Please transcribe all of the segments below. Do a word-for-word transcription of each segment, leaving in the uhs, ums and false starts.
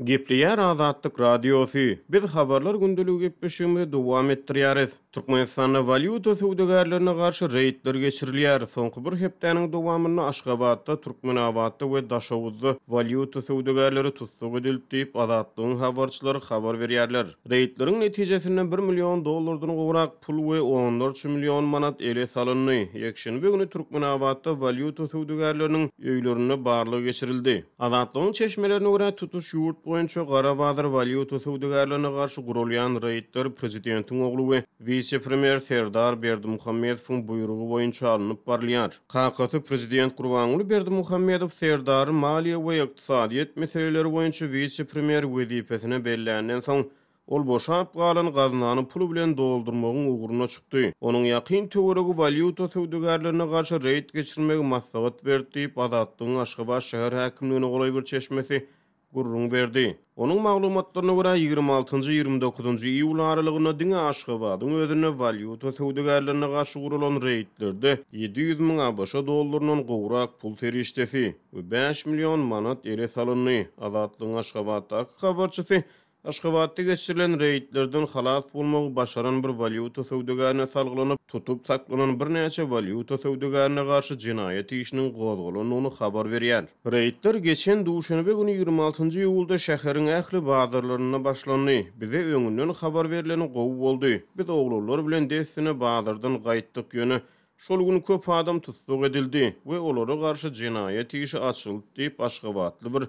Gepleýär Azatlyk Radiosy. Biz Habarlar gündeligi gepleşigimizi dowam etdirýäris. Türkmenistanda walýuta söwdagärlerine garşy reýdler geçirilýär. Soňky bir hepdäniň dowamynda Aşgabatda, Türkmenabatda we Daşoguzda walýuta söwdagärleri tussag edildi diýip, Azatlygyň habarçylary habar berýärler. Reýdleriň netijesinde bir million dollardan gowrak pul we onlarça million manat ele salyndy. Ýekşenbe güni Türkmenabatda walýuta söwdagärleriniň öýlerinde barlag geçirildi. Azatlygyň çeşmelerine görä, tutuş ýurt boýunça gara bazar walýuta söwdagärlerine garşy guralýan reýdler prezidentiň ogly we wise-premýer Serdar Berdimuhamedowyň buýrugy boýunça alnyp barylýar. Kakasy prezident Gurbanguly Berdimuhamedow Serdary maliýe we ykdysadyýet meseleleri boýunça wise-premýer wezipesine belländen soň, ol boşap galan gaznany pul bilen doldurmagyň ugruna çykdy. Onuň ýakyn töweregi walýuta söwdagärlerine garşy reýd geçirmegi maslahat berdi diýip, Azatlygyň Aşgabat şäher häkimligine golaý bir çeşmesi gürrüň berdi. Onuň maglumatlaryna görä, ýigrimi altynjy, ýigrimi dokuzynjy iýul aralygynda diňe Aşgabadyň özünde walýuta söwdagärlerine garşy guralan reýdlerde ýedi ýüz müň ABŞ dollaryndan gowrak pul serişdesi we bäş million manat ele salyndy. Azatlygyň Aşgabatdaky habarçysy Aşgabatda geçirilen reýdlerden halas bolmagy başaran bir walýuta söwdagärine salgylanyp, tutup saklanan birnäçe walýuta söwdagärine garşy jenaýat işiniň gozgalandygyny habar berýär. Reýdler geçen duşenbe güni ýigrimi altynjy iýulda şäheriň ähli bazarlarynda başlandy. Bize öňünden habar berleni gowy boldy. Biz oglanlar bilen dessine bazardan gaýtdyk, ýöne şol gün köp adam tussag edildi we olara garşy jenaýat işi açyldy diýip, aşgabatly bir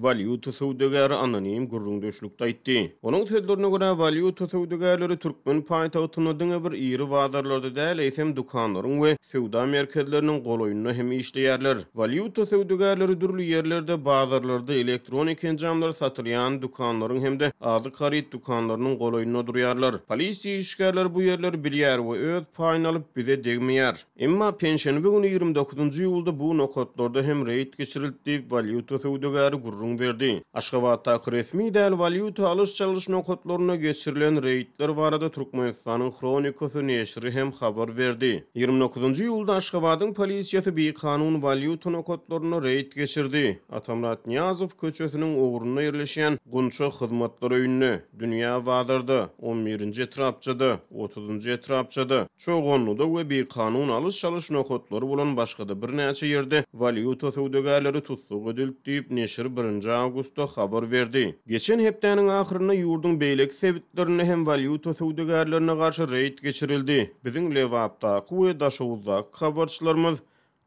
walýuta söwdagäri anonim gürrüňdeşlikde aýtdy. Onuň sözlerine görä, walýuta söwdagärleri türkmen paýtagtynda diňe bir iri bazarlarda däl, eýsem dükanlaryň we söwda merkezleriniň golaýynda hem işleýärler. Walýuta söwdagärleri dürli ýerlerde, bazarlarda elektronik enjamlar satylýan dükanlaryň hem-de azyk haryt dükanlarynyň golaýynda durýarlar. Polisiýa işgärleri bu ýerleri bilýär we öz paýyny alyp bize degmeýär. Emma penşenbe güni ýigrimi dokuzynjy iýulda bu nokatlarda hem reýd geçirildi diýip, walýuta söwdagäri gürrüň berdi. Aşgabatdaky resmi däl walýuta alyş-çalyş nokatlarynda geçirilen reýdler barada Türkmenistanyň Hronikasy neşiri hem habar berdi. Ýigrimi dokuzynjy iýulda Aşgabadyň polisiýasy bikanun walýuta nokatlarynda reýd geçirdi. Atamyrat Nyýazow köçesiniň ugrunda ýerleşýän Gunça hyzmatlar öýünde, Dünýä bazarda, on birinji etrapçada, otuzynjy etrapçada, Çoganlyda we bikanun alyş-çalyş nokatlary bolan başga-da birnäçe ýerde walýuta söwdagärleri tussag edildi diýip, neşir birinji awgustda habar berdi. Geçen hepdäniň ahyrynda ýurduň beýleki sebitlerinde hem walýuta söwdagärlerine garşy reýd geçirildi. Biziň Lebapdaky we Daşoguzdaky habarçylarymyz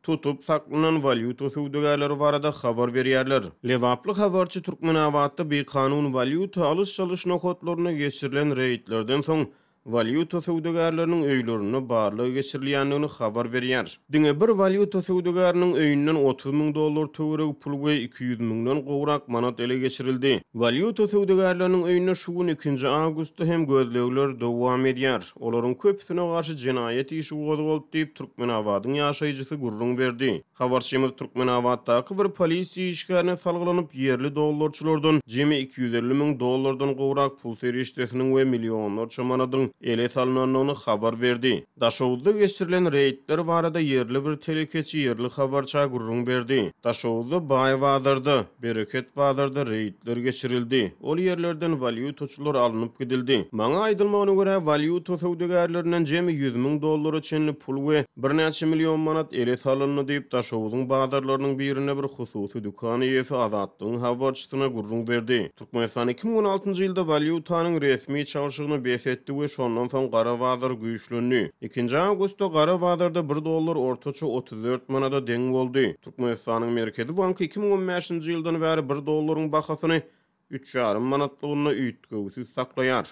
tutup saklanan walýuta söwdagärleri barada habar berýärler. Lebaply habarçy Türkmenabatda bikanun walýuta alyş-çalyş nokatlarynda geçirilen reýdlerden soň walýuta söwdagärleriniň öýlerinde barlag geçirilýändigini habar berýär. Diňe bir walýuta söwdagäriniň öýünden otuz müň dollar töweregi pul we iki ýüz müňden gowrak manat ele geçirildi. Walýuta söwdagärleriniň öýünde şu gün ikinji awgustda hem gözlegler dowam edýär. Olaryň köpüsine garşy jenaýat işi gozgaldy diýip, Türkmenabadyň ýaşaýjysy gürrüň berdi. Habarçymyz Türkmenabatdaky bir polisiýa işgärine salgylanyp, ýerli dollarçylardan jemi iki ýüz elli müň dollardan gowrak pul serişdesiniň we millionlarça manadyň ele salynandygyny habar berdi. Daşoguzda geçirilen reýdler barada ýerli bir telekeçi ýerli habarça gürrüň berdi. Daşoguzda Baý bazarda, Bereket bazarda reýdler geçirildi. Ol ýerlerden walýutaçylar alnyp gidildi. Maňa aýdylmagyna görä, walýuta söwdagärlerinden jemi ýüz müň dollara çenli pul we birnäçe million manat ele salyndy diýip, Daşoguzyň bazarlarynyň birinde bir hususy dükan eýesi Azatlygyň habarçysyna gürrüň berdi. Türkmenistan iki müň on altynjy ýylda walýutanyň resmi çalşygyny bes etdi we şondan soň gara bazar güýçlendi. Ikinji awgustda gara bazarda bir dollar ortaça otuz dört manada deň boldy. Türkmenistanyň Merkezi banky iki müň on bäşinji ýyldan bäri bir dollaryň bahasyny üç ýarym manatlygynda üýtgewsiz saklaýar.